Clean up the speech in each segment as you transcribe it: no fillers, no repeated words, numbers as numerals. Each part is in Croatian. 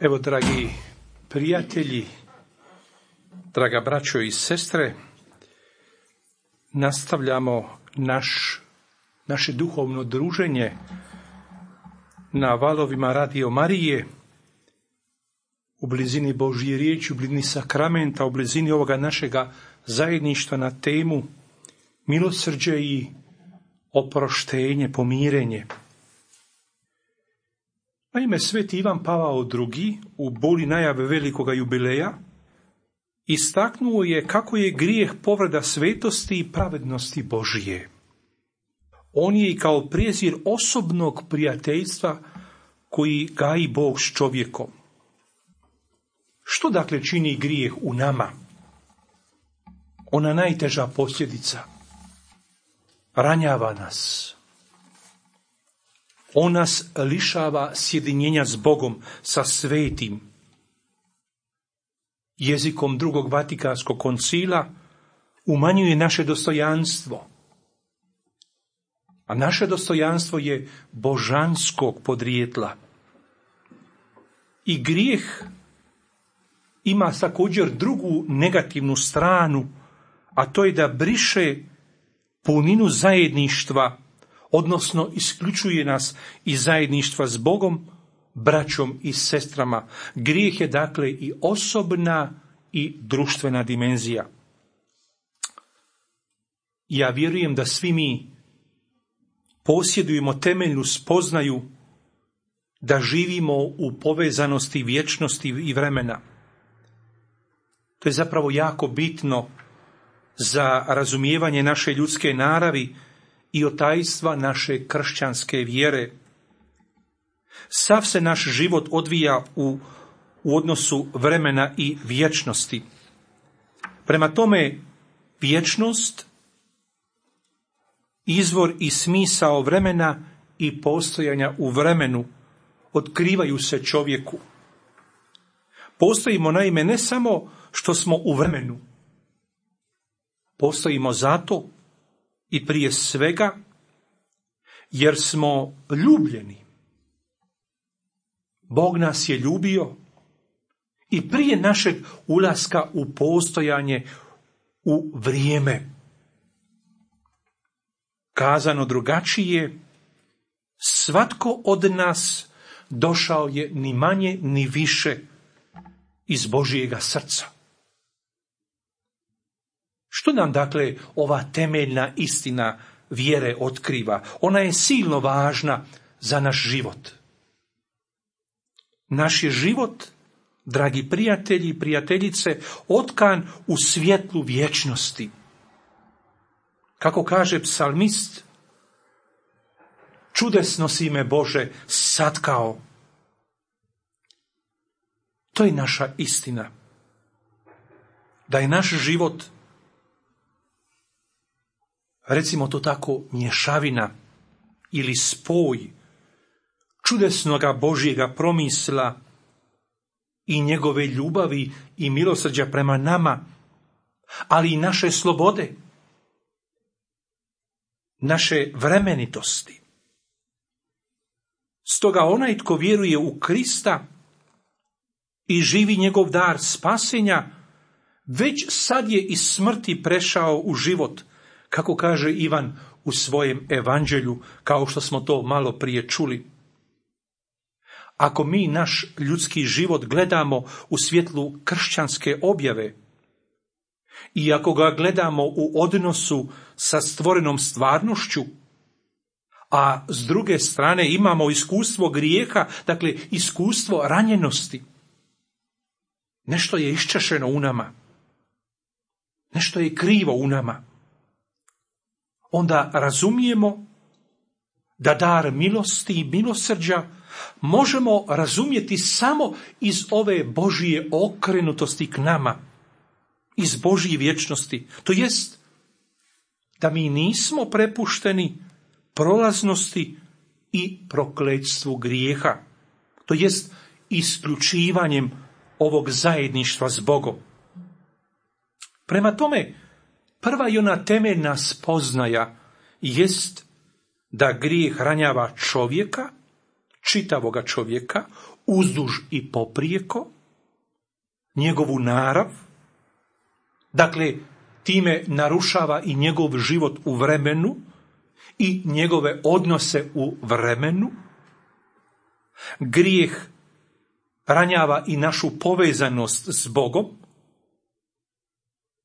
Evo, dragi prijatelji, draga braćo i sestre, nastavljamo naše duhovno druženje na valovima Radio Marije, u blizini Božje riječi, u blizini sakramenta, u blizini ovoga našega zajedništva na temu milosrđe i oproštenje, pomirenje. Naime, sveti Ivan Pavao II. U boli najave velikoga jubileja istaknuo je kako je grijeh povreda svetosti i pravednosti Božije. On je i kao prijezir osobnog prijateljstva koji gaji Bog s čovjekom. Što dakle čini grijeh u nama? Ona najteža posljedica. Ranjava nas. On nas lišava sjedinjenja s Bogom, sa svetim. Jezikom drugog Vatikanskog koncila umanjuje naše dostojanstvo. A naše dostojanstvo je božanskog podrijetla. I grijeh ima također drugu negativnu stranu, a to je da briše puninu zajedništva, odnosno isključuje nas iz zajedništva s Bogom, braćom i sestrama. Grijeh je dakle i osobna i društvena dimenzija. Ja vjerujem da svi mi posjedujemo temeljnu spoznaju da živimo u povezanosti vječnosti i vremena. To je zapravo jako bitno za razumijevanje naše ljudske naravi i otajstva naše kršćanske vjere. Sav se naš život odvija u odnosu vremena i vječnosti. Prema tome, vječnost, izvor i smisao vremena i postojanja u vremenu otkrivaju se čovjeku. Postojimo naime ne samo što smo u vremenu, postojimo zato i prije svega jer smo ljubljeni. Bog nas je ljubio i prije našeg ulaska u postojanje u vrijeme. Kazano drugačije, svatko od nas došao je ni manje ni više iz Božjega srca. Što nam dakle ova temeljna istina vjere otkriva? Ona je silno važna za naš život. Naš je život, dragi prijatelji i prijateljice, otkan u svjetlu vječnosti. Kako kaže psalmist, čudesno si me Bože satkao. To je naša istina. Da je naš život, recimo to tako, mješavina ili spoj čudesnoga Božjega promisla i njegove ljubavi i milosrđa prema nama, ali i naše slobode, naše vremenitosti. Stoga onaj tko vjeruje u Krista i živi njegov dar spasenja, već sad je iz smrti prešao u život, kako kaže Ivan u svojem evanđelju, kao što smo to malo prije čuli. Ako mi naš ljudski život gledamo u svjetlu kršćanske objave i ako ga gledamo u odnosu sa stvorenom stvarnošću, a s druge strane imamo iskustvo grijeha, dakle iskustvo ranjenosti, nešto je iščešeno u nama, nešto je krivo u nama, onda razumijemo da dar milosti i milosrđa možemo razumjeti samo iz ove Božje okrenutosti k nama, iz Božje vječnosti. To jest da mi nismo prepušteni prolaznosti i prokletstvu grijeha. To jest isključivanjem ovog zajedništva s Bogom. Prema tome, prva i ona temeljna spoznaja jest da grijeh ranjava čovjeka, čitavoga čovjeka, uzduž i poprijeko, njegovu narav, dakle, time narušava i njegov život u vremenu i njegove odnose u vremenu. Grijeh ranjava i našu povezanost s Bogom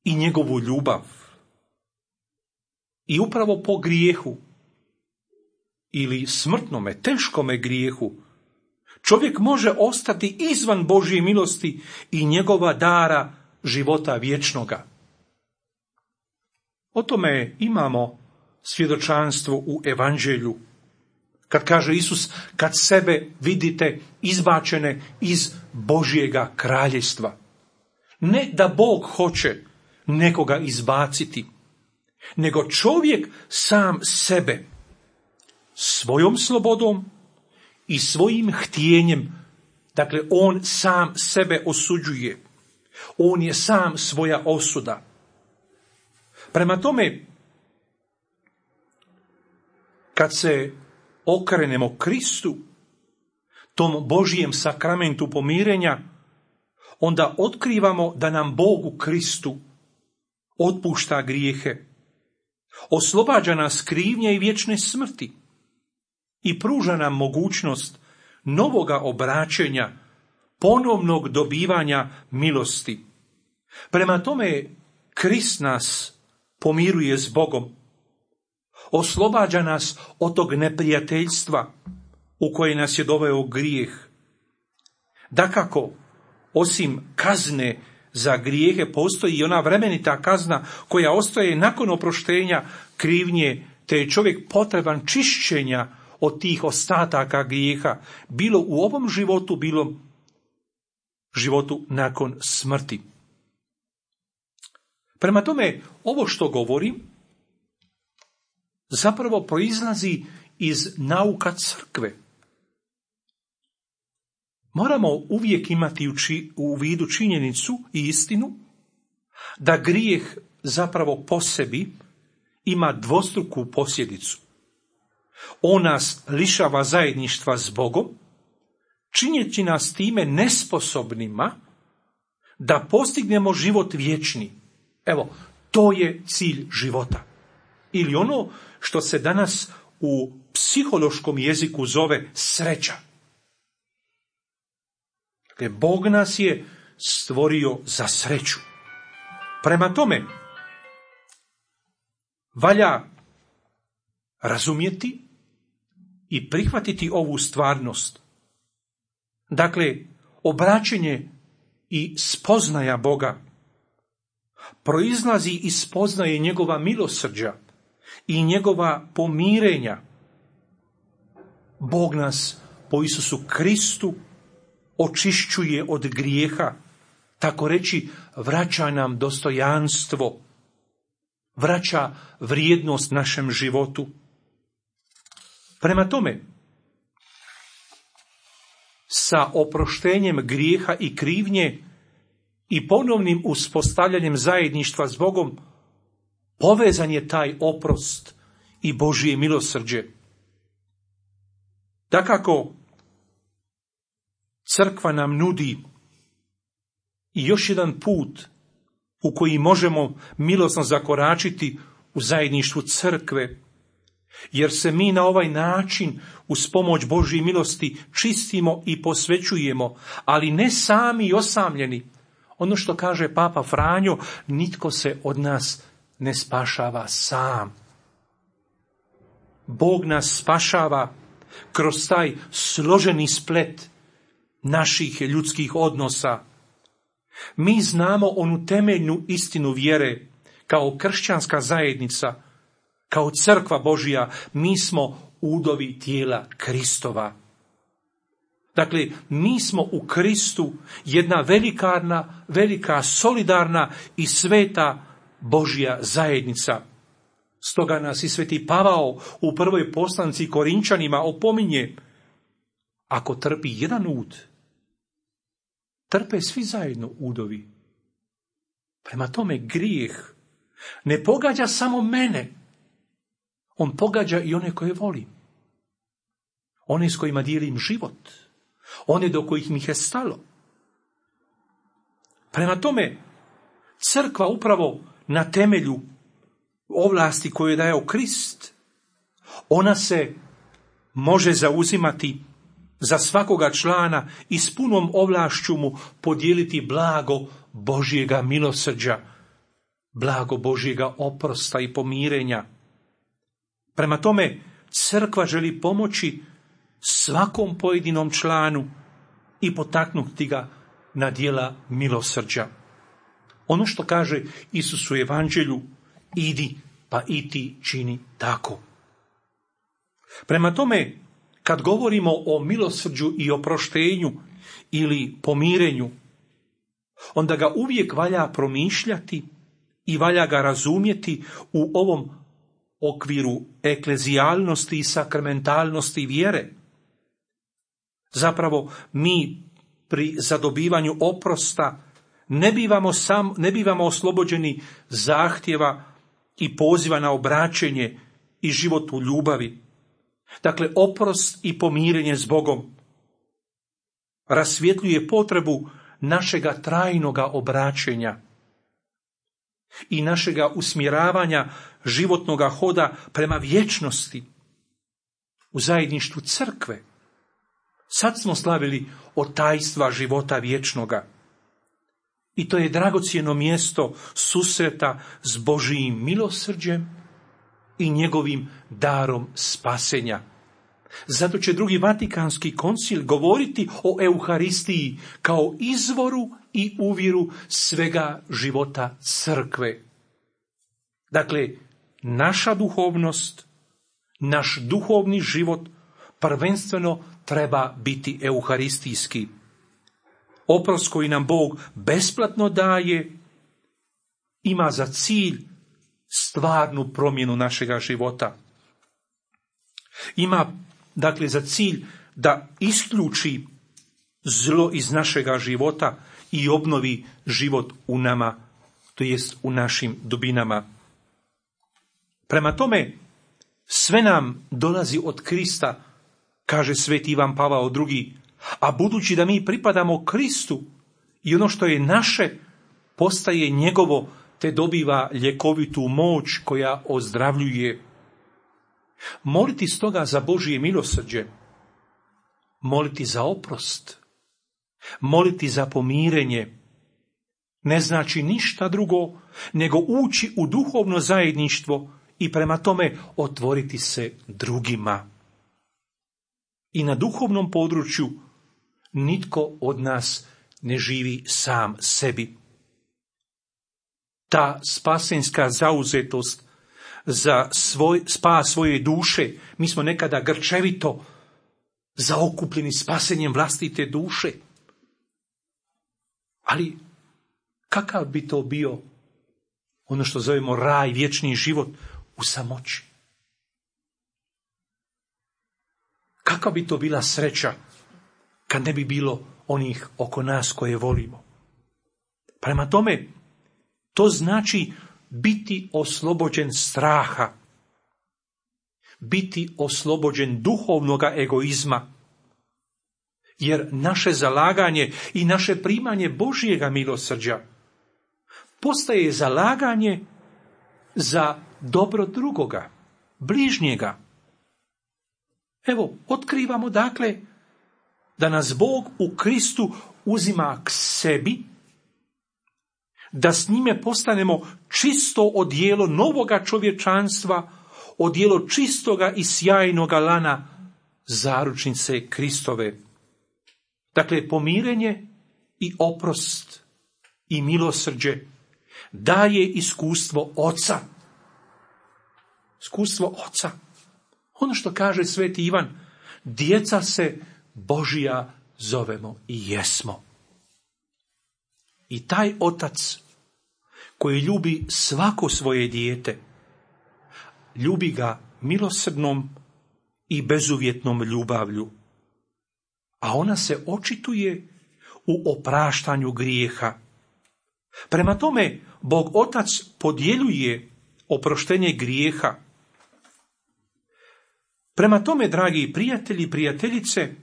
i njegovu ljubav. I upravo po grijehu ili smrtnome, teškome grijehu, čovjek može ostati izvan Božje milosti i njegova dara života vječnoga. O tome imamo svjedočanstvo u Evanđelju. Kad kaže Isus, kad sebe vidite izbačene iz Božjega kraljevstva. Ne da Bog hoće nekoga izbaciti, nego čovjek sam sebe svojom slobodom i svojim htjenjem, dakle on sam sebe osuđuje. On je sam svoja osuda. Prema tome, kad se okrenemo Kristu, tom Božijem sakramentu pomirenja, onda otkrivamo da nam Bog u Kristu otpušta grijehe, oslobađa nas krivnje i vječne smrti i pruža nam mogućnost novoga obraćenja, ponovnog dobivanja milosti. Prema tome, Krist nas pomiruje s Bogom, oslobađa nas od tog neprijateljstva u koje nas je doveo grijeh. Dakako, osim kazne za grijehe, postoji i ona vremenita kazna koja ostaje nakon oproštenja krivnje, te je čovjek potreban čišćenja od tih ostataka grijeha, bilo u ovom životu, bilo životu nakon smrti. Prema tome, ovo što govorim zapravo proizlazi iz nauka crkve. Moramo uvijek imati u vidu činjenicu i istinu da grijeh zapravo po sebi ima dvostruku posljedicu. On nas lišava zajedništva s Bogom, činjeći nas time nesposobnima da postignemo život vječni. Evo, to je cilj života. Ili ono što se danas u psihološkom jeziku zove sreća. Dakle, Bog nas je stvorio za sreću. Prema tome, valja razumjeti i prihvatiti ovu stvarnost. Dakle, obraćenje i spoznaja Boga proizlazi iz spoznaje njegova milosrđa i njegova pomirenja. Bog nas po Isusu Kristu očišćuje od grijeha, tako reći vraća nam dostojanstvo, vraća vrijednost našem životu. Prema tome, sa oproštenjem grijeha i krivnje i ponovnim uspostavljanjem zajedništva s Bogom povezan je taj oprost i Božje milosrđe. Dakako, crkva nam nudi i još jedan put u koji možemo milosno zakoračiti u zajedništvu crkve, jer se mi na ovaj način uz pomoć Božje milosti čistimo i posvećujemo, ali ne sami i osamljeni. Ono što kaže Papa Franjo, nitko se od nas ne spašava sam. Bog nas spašava kroz taj složeni splet naših ljudskih odnosa. Mi znamo onu temeljnu istinu vjere kao kršćanska zajednica, kao crkva Božja, mi smo udovi tijela Kristova. Dakle, mi smo u Kristu jedna velika, solidarna i sveta Božja zajednica. Stoga nas i sveti Pavao u prvoj poslanici Korinčanima opominje, ako trpi jedan ud, trpe svi zajedno udovi. Prema tome, grijeh ne pogađa samo mene, on pogađa i one koje volim, one s kojima dijelim život, one do kojih mi je stalo. Prema tome, crkva upravo na temelju ovlasti koje je dao Krist, ona se može zauzimati za svakoga člana i s punom ovlašću mu podijeliti blago Božjega milosrđa, blago Božjega oprosta i pomirenja. Prema tome, crkva želi pomoći svakom pojedinom članu i potaknuti ga na djela milosrđa. Ono što kaže Isus u Evanđelju, idi pa i ti čini tako. Prema tome, kad govorimo o milosrđu i oproštenju ili pomirenju, onda ga uvijek valja promišljati i valja ga razumjeti u ovom okviru eklezijalnosti i sakramentalnosti vjere. Zapravo, mi pri zadobivanju oprosta ne bivamo oslobođeni zahtjeva i poziva na obraćenje i život u ljubavi. Dakle, oprost i pomirenje s Bogom rasvjetljuje potrebu našega trajnoga obraćenja i našega usmjeravanja životnoga hoda prema vječnosti u zajedništvu crkve. Sad smo slavili od tajstva života vječnoga. I to je dragocjeno mjesto susreta s Božijim milosrđem i njegovim darom spasenja. Zato će Drugi Vatikanski koncil govoriti o Euharistiji kao izvoru i uvjeru svega života crkve. Dakle, naša duhovnost, naš duhovni život prvenstveno treba biti euharistijski. Oprost koji nam Bog besplatno daje ima za cilj stvarnu promjenu našega života. Ima, dakle, za cilj da isključi zlo iz našega života i obnovi život u nama, to jest u našim dubinama. Prema tome, sve nam dolazi od Krista, kaže sveti Ivan Pavao II, a budući da mi pripadamo Kristu i ono što je naše postaje njegovo, te dobiva ljekovitu moć koja ozdravljuje. Moliti stoga za Božje milosrđe, moliti za oprost, moliti za pomirenje, ne znači ništa drugo nego ući u duhovno zajedništvo i prema tome otvoriti se drugima. I na duhovnom području nitko od nas ne živi sam sebi. Ta spasenska zauzetost za spas svoje duše, mi smo nekada grčevito zaokupljeni spasenjem vlastite duše. Ali kakav bi to bio ono što zovemo raj, vječni život u samoći? Kakva bi to bila sreća kad ne bi bilo onih oko nas koje volimo? Prema tome, to znači biti oslobođen straha, biti oslobođen duhovnoga egoizma, jer naše zalaganje i naše primanje Božjega milosrđa postaje zalaganje za dobro drugoga, bližnjega. Evo, otkrivamo dakle da nas Bog u Kristu uzima k sebi, da s njime postanemo čisto odijelo novoga čovječanstva, odijelo čistoga i sjajnoga lana zaručnice Kristove. Dakle, pomirenje i oprost i milosrđe daje iskustvo Oca. Iskustvo Oca. Ono što kaže sveti Ivan, djeca se Božija zovemo i jesmo. I taj Otac koji ljubi svako svoje dijete, ljubi ga milosrdnom i bezuvjetnom ljubavlju, a ona se očituje u opraštanju grijeha. Prema tome, Bog Otac podjeljuje oproštenje grijeha. Prema tome, dragi prijatelji i prijateljice,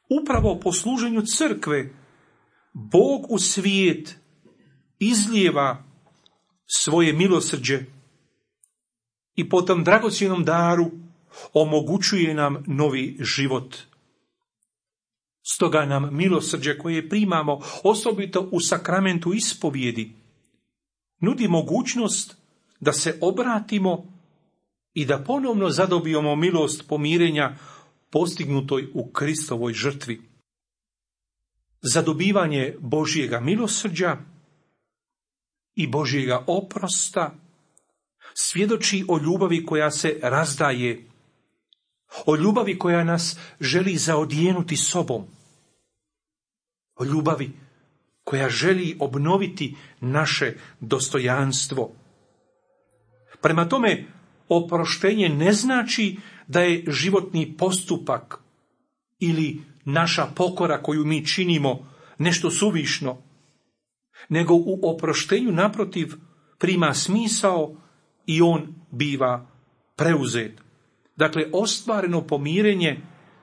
Upravo po služenju crkve Bog u svijet izlijeva svoje milosrđe i po tom dragocjenom daru omogućuje nam novi život. Stoga nam milosrđe koje primamo, osobito u sakramentu ispovjedi, nudi mogućnost da se obratimo i da ponovno zadobijemo milost pomirenja postignutoj u Kristovoj žrtvi. Zadobivanje Božjega milosrđa i Božjega oprosta svjedoči o ljubavi koja se razdaje, o ljubavi koja nas želi zaodjenuti sobom, o ljubavi koja želi obnoviti naše dostojanstvo. Prema tome, oproštenje ne znači da je životni postupak ili naša pokora koju mi činimo nešto suvišno, nego u oproštenju naprotiv prima smisao i on biva preuzet. Dakle, ostvareno pomirenje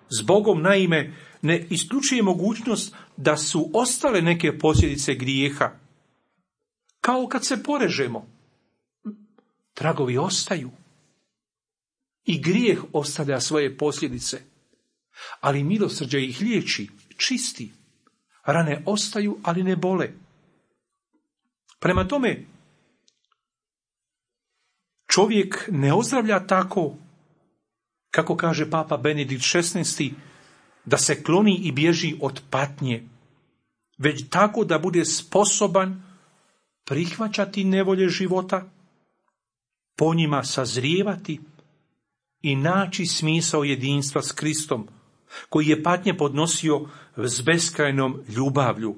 s Bogom naime ne isključuje mogućnost da su ostale neke posljedice grijeha. Kao kad se porežemo, tragovi ostaju i grijeh ostavlja svoje posljedice, ali milosrđe ih liječi, čisti. Rane ostaju, ali ne bole. Prema tome, čovjek ne ozdravlja tako, kako kaže Papa Benedikt XVI, da se kloni i bježi od patnje, već tako da bude sposoban prihvaćati nevolje života, po njima sazrijevati i naći smisao jedinstva s Kristom, koji je patnje podnosio s beskrajnom ljubavlju.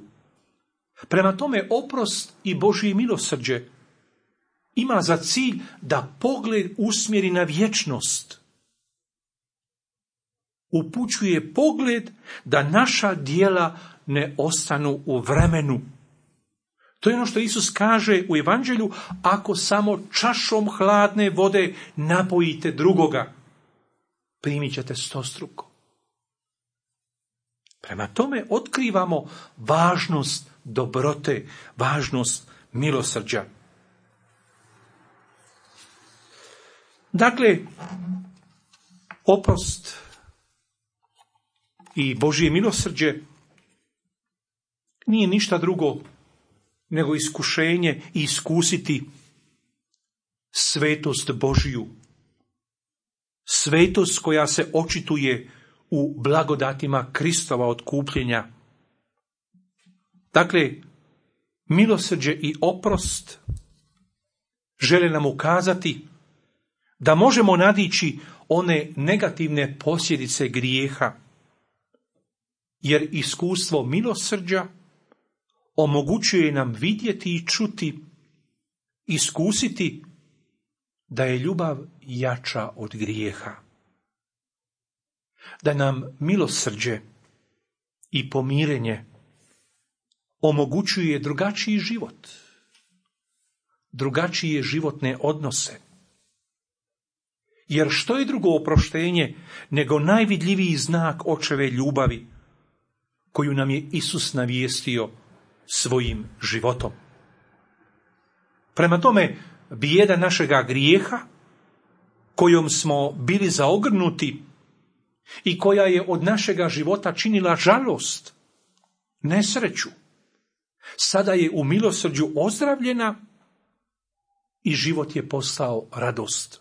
Prema tome, oprost i Božje milosrđe ima za cilj da pogled usmjeri na vječnost. Upućuje pogled da naša djela ne ostanu u vremenu. To je ono što Isus kaže u Evanđelju: ako samo čašom hladne vode napojite drugoga, primit ćete 100-struko. Prema tome otkrivamo važnost dobrote, važnost milosrđa. Dakle, oprost i Božje milosrđe nije ništa drugo nego iskušenje i iskusiti svetost Božju. Svetost koja se očituje u blagodatima Kristova otkupljenja. Dakle, milosrđe i oprost žele nam ukazati da možemo nadići one negativne posljedice grijeha, jer iskustvo milosrđa omogućuje nam vidjeti i čuti, iskusiti da je ljubav jača od grijeha. Da nam milosrđe i pomirenje omogućuje drugačiji život, drugačije životne odnose. Jer što je drugo oproštenje nego najvidljiviji znak očeve ljubavi koju nam je Isus navijestio svojim životom. Prema tome, bijeda našega grijeha, kojom smo bili zaogrnuti i koja je od našega života činila žalost, nesreću, sada je u milosrđu ozdravljena i život je postao radost.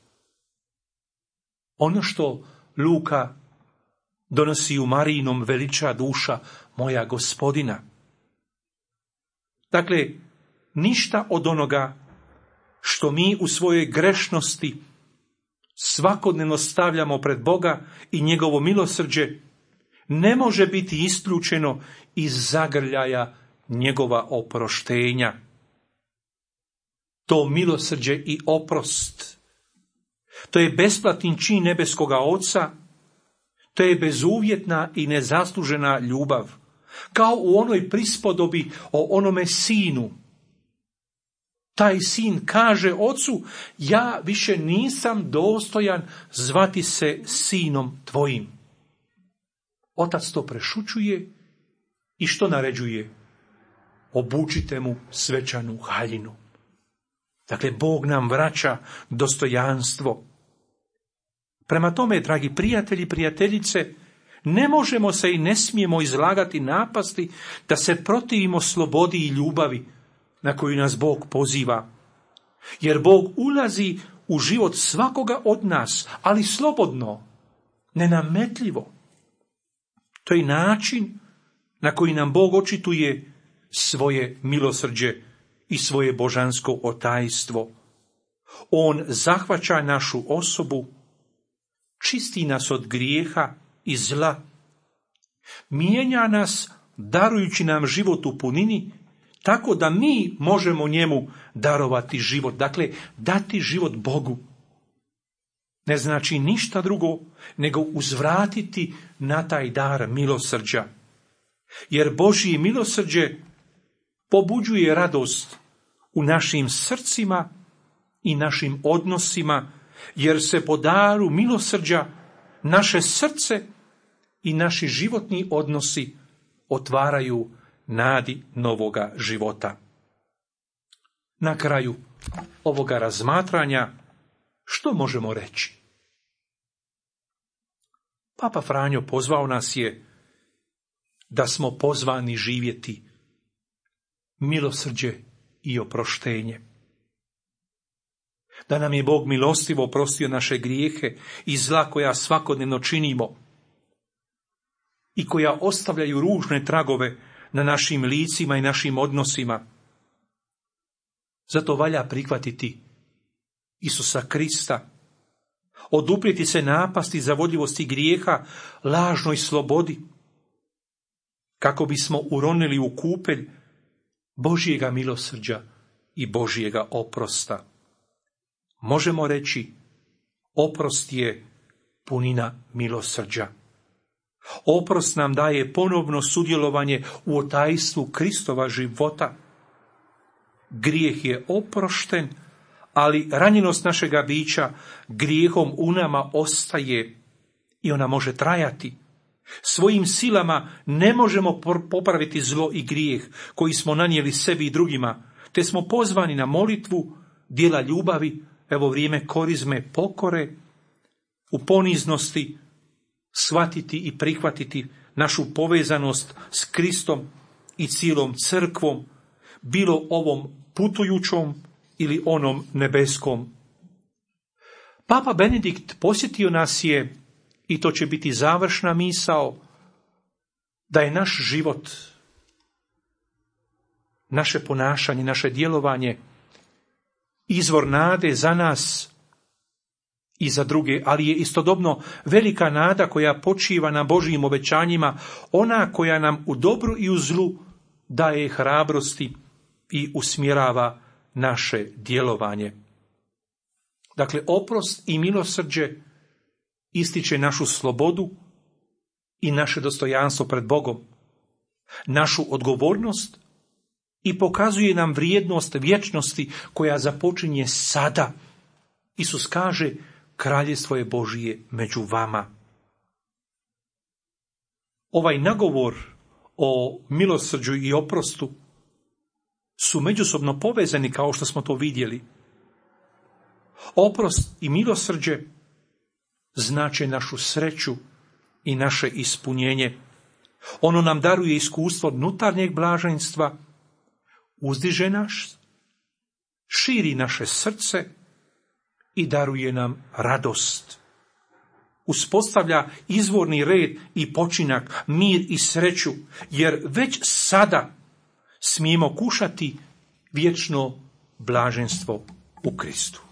Ono što Luka donosi u Marijinom veliča duša moja Gospodina. Dakle, ništa od onoga što mi u svojoj grešnosti svakodnevno stavljamo pred Boga i njegovo milosrđe ne može biti isključeno iz zagrljaja njegova oproštenja. To milosrđe i oprost, to je besplatni čin nebeskoga Oca, to je bezuvjetna i nezaslužena ljubav, kao u onoj prispodobi o onome sinu. Taj sin kaže ocu: ja više nisam dostojan zvati se sinom tvojim. Otac to prešućuje i što naređuje? Obučite mu svečanu haljinu. Dakle, Bog nam vraća dostojanstvo. Prema tome, dragi prijatelji i prijateljice, ne možemo se i ne smijemo izlagati napasti da se protivimo slobodi i ljubavi na koju nas Bog poziva. Jer Bog ulazi u život svakoga od nas, ali slobodno, nenametljivo. To je način na koji nam Bog očituje svoje milosrđe i svoje božansko otajstvo. On zahvaća našu osobu, čisti nas od grijeha i zla, mijenja nas darujući nam život u punini, tako da mi možemo njemu darovati život, dakle dati život Bogu. Ne znači ništa drugo nego uzvratiti na taj dar milosrđa. Jer Božje milosrđe pobuđuje radost u našim srcima i našim odnosima, jer se po daru milosrđa naše srce i naši životni odnosi otvaraju nadi novoga života. Na kraju ovoga razmatranja što možemo reći? Papa Franjo pozvao nas je da smo pozvani živjeti milosrđe i oproštenje. Da nam je Bog milostivo oprostio naše grijehe i zla koja svakodnevno činimo i koja ostavljaju ružne tragove na našim licima i našim odnosima. Zato valja prihvatiti Isusa Krista, oduprijeti se napasti zavodljivosti grijeha, lažnoj slobodi, kako bismo uronili u kupelj Božjega milosrđa i Božjega oprosta. Možemo reći, oprost je punina milosrđa. Oprost nam daje ponovno sudjelovanje u otajstvu Kristova života. Grijeh je oprošten, ali ranjenost našega bića grijehom u nama ostaje i ona može trajati. Svojim silama ne možemo popraviti zlo i grijeh koji smo nanijeli sebi i drugima, te smo pozvani na molitvu, djela ljubavi, evo vrijeme korizme, pokore, u poniznosti shvatiti i prihvatiti našu povezanost s Kristom i cijelom crkvom, bilo ovom putujućom ili onom nebeskom. Papa Benedikt posjetio nas je, i to će biti završna misao, da je naš život, naše ponašanje, naše djelovanje izvor nade za nas i za druge, ali je istodobno velika nada koja počiva na Božjim obećanjima, ona koja nam u dobru i u zlu daje hrabrosti i usmjerava naše djelovanje. Dakle, oprost i milosrđe ističe našu slobodu i naše dostojanstvo pred Bogom, našu odgovornost i pokazuje nam vrijednost vječnosti koja započinje sada. Isus kaže, kraljevstvo je Božije među vama. Ovaj nagovor o milosrđu i oprostu su međusobno povezani, kao što smo to vidjeli. Oprost i milosrđe znače našu sreću i naše ispunjenje. Ono nam daruje iskustvo unutarnjeg blaženstva, uzdiže nas, širi naše srce i daruje nam radost. Uspostavlja izvorni red i počinak, mir i sreću, jer već sada smijemo kušati vječno blaženstvo u Kristu.